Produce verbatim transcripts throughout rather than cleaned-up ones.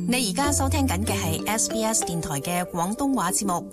你而家收聽緊嘅係 S B S 電台嘅廣東話節目。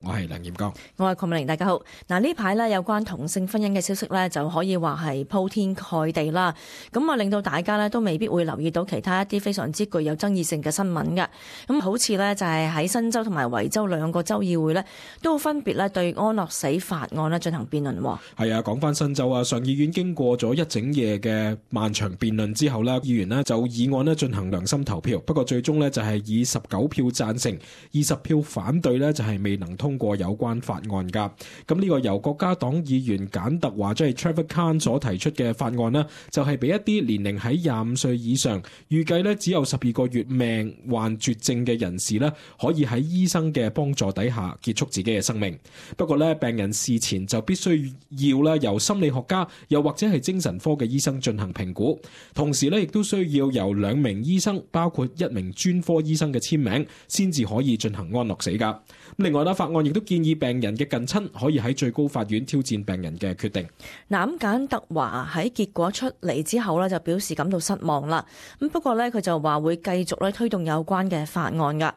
我係梁炎剛，我係鄺美玲，大家好。嗱，呢排咧有關同性婚姻嘅消息咧，就可以話係鋪天蓋地啦。咁啊，令到大家咧都未必會留意到其他一啲非常之具有爭議性嘅新聞嘅。咁好似咧就係喺新州同埋維州兩個州議會咧，都分別咧對安樂死法案咧進行辯論。係啊，講翻新州啊，上議院經過咗一整夜嘅漫長辯論之後咧，議員咧就議案咧進行良心投票。不過最終咧就係以十九票贊成，二十票反對咧，就係未能通通過有關法案噶，咁呢個由國家黨議員簡特華即係 Trevor Khan 所提出嘅法案呢，就係俾一啲年齡喺廿五歲以上，預計呢只有十二個月命患絕症嘅人士呢，可以喺醫生嘅幫助底下結束自己嘅生命。不過呢，病人事前就必須要呢由心理學家又或者係精神科嘅醫生進行評估，同時呢亦都需要由兩名醫生，包括一名專科醫生嘅簽名，先至可以進行安樂死噶。另外呢，法案亦都建議病人嘅近親可以喺最高法院挑戰病人嘅決定。嗱，咁簡特華喺結果出嚟之後呢，就表示感到失望啦。咁不過呢，佢就話會繼續咧推動有關嘅法案噶。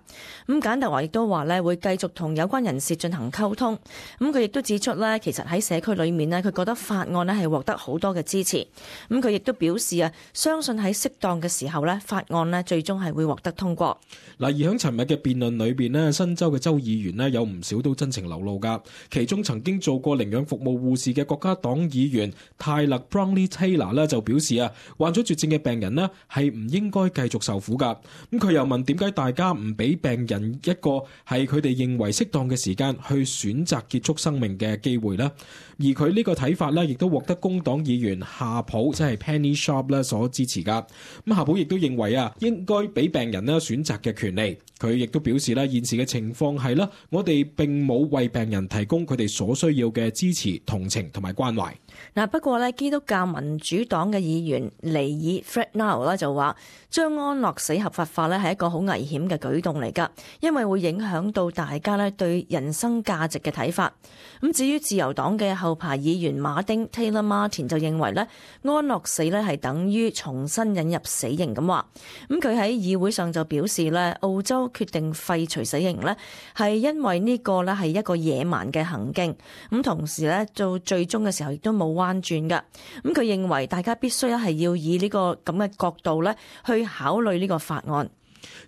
咁簡特華亦都話呢會繼續同有關人士進行溝通。咁佢亦都指出呢，其實喺社區裏面呢，佢覺得法案呢係獲得好多嘅支持。咁佢亦都表示啊，相信喺適當嘅時候呢，法案呢最終係會獲得通過。嗱，而喺尋日嘅辯論裏邊呢，新州嘅州議員呢有唔少都真情流露噶。其中曾經做過領養服務護士嘅國家黨議員泰勒 Brownlee Taylor 呢就表示啊，患咗絕症嘅病人呢係唔應該繼續受苦噶。咁佢又問點解大家唔俾病人一個係佢哋認為適當嘅時間去選擇結束生命嘅機會呢？而佢呢個睇法呢，亦都獲得工黨議員夏普即係 Penny Sharp 咧所支持噶。咁夏普亦都認為啊，應該俾病人呢選擇嘅權利。佢亦都表示咧，現時嘅情況係啦，我哋並冇為病人提供佢哋所需要嘅支持、同情同埋關懷。嗱，不過咧，基督教民主黨嘅議員尼爾 Frednall 咧就話，將安樂死合法化咧係一個好危險嘅舉動嚟㗎，因為會影響到大家咧對人生價值嘅睇法。咁至於自由黨嘅後排議員馬丁 Taylor Martin 就認為咧，安樂死咧係等於重新引入死刑咁話。咁佢喺議會上就表示咧，澳洲決定廢除死刑咧，係因為呢個咧係一個野蠻嘅行徑。咁同時咧，到最終嘅時候亦都冇彎轉㗎。咁佢認為大家必須係要以呢個咁嘅角度咧去考慮呢個法案。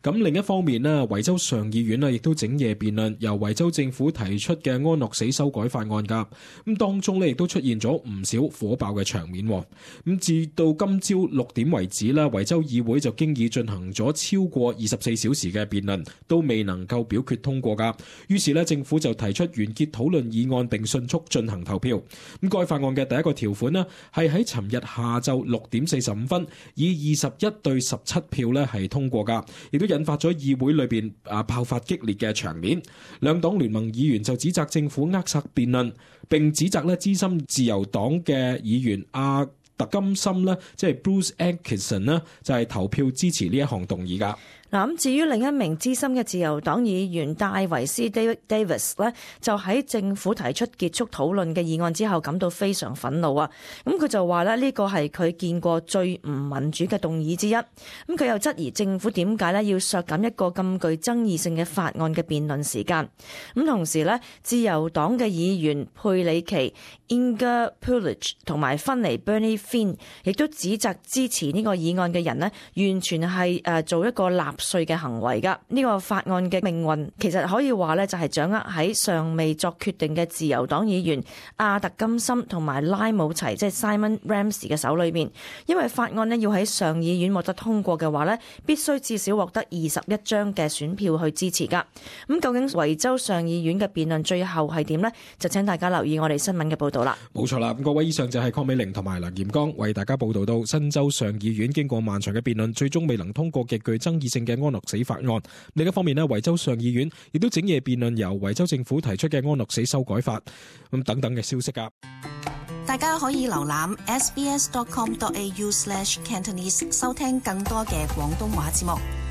咁另一方面呢，維州上議院呢亦都整夜辯論由維州政府提出嘅安樂死修改法案㗎。咁當中呢亦都出現咗唔少火爆嘅場面。咁至到今朝六點為止啦，維州議會就經已進行咗超過二十四小時嘅辯論，都未能夠表決通過㗎。於是呢，政府就提出完結討論議案並迅速進行投票。咁該法案嘅第一個條款呢，係喺尋日下晝六點四十五分以二十一對十七票呢係通過㗎。亦都引發咗議會裏邊啊爆發激烈嘅場面，兩黨聯盟議員就指責政府扼殺辯論，並指責咧資深自由黨嘅議員阿特金森咧，即係 Bruce Atkinson 咧，就係投票支持呢一項動議噶。嗱，咁至於另一名資深嘅自由黨議員戴維斯 David Davis 咧，就喺政府提出結束討論嘅議案之後感到非常憤怒啊！咁佢就話咧，呢個係佢見過最唔民主嘅動議之一。咁佢又質疑政府點解咧要削減一個咁具爭議性嘅法案嘅辯論時間。咁同時咧，自由黨嘅議員佩里奇 Inga Pulich 同埋芬尼 Bernie Finn 亦都指責支持呢個議案嘅人呢，完全係誒做一個納稅嘅行為噶。呢個法案嘅命運其實可以話咧，就係掌握喺尚未作決定嘅自由黨議員阿特金森同埋拉姆齊，即係 Simon Ramsey 嘅手裏面。因為法案呢要喺上議院獲得通過嘅話呢，必須至少獲得二十一張嘅選票去支持噶。咁究竟維州上議院嘅辯論最後係點呢？就請大家留意我哋新聞嘅報道啦。冇錯啦，咁各位，以上就係鄺美玲同埋梁炎剛為大家報道到新州上議院經過漫長嘅辯論，最終未能通過極具爭議性嘅安樂死法案。另一方面呢，維州上議院亦都整夜辯論由維州政府提出嘅安樂死修改法咁等等嘅消息啊。大家可以瀏覽 s b s dot com dot a u slash cantonese 收聽更多嘅廣東話節目。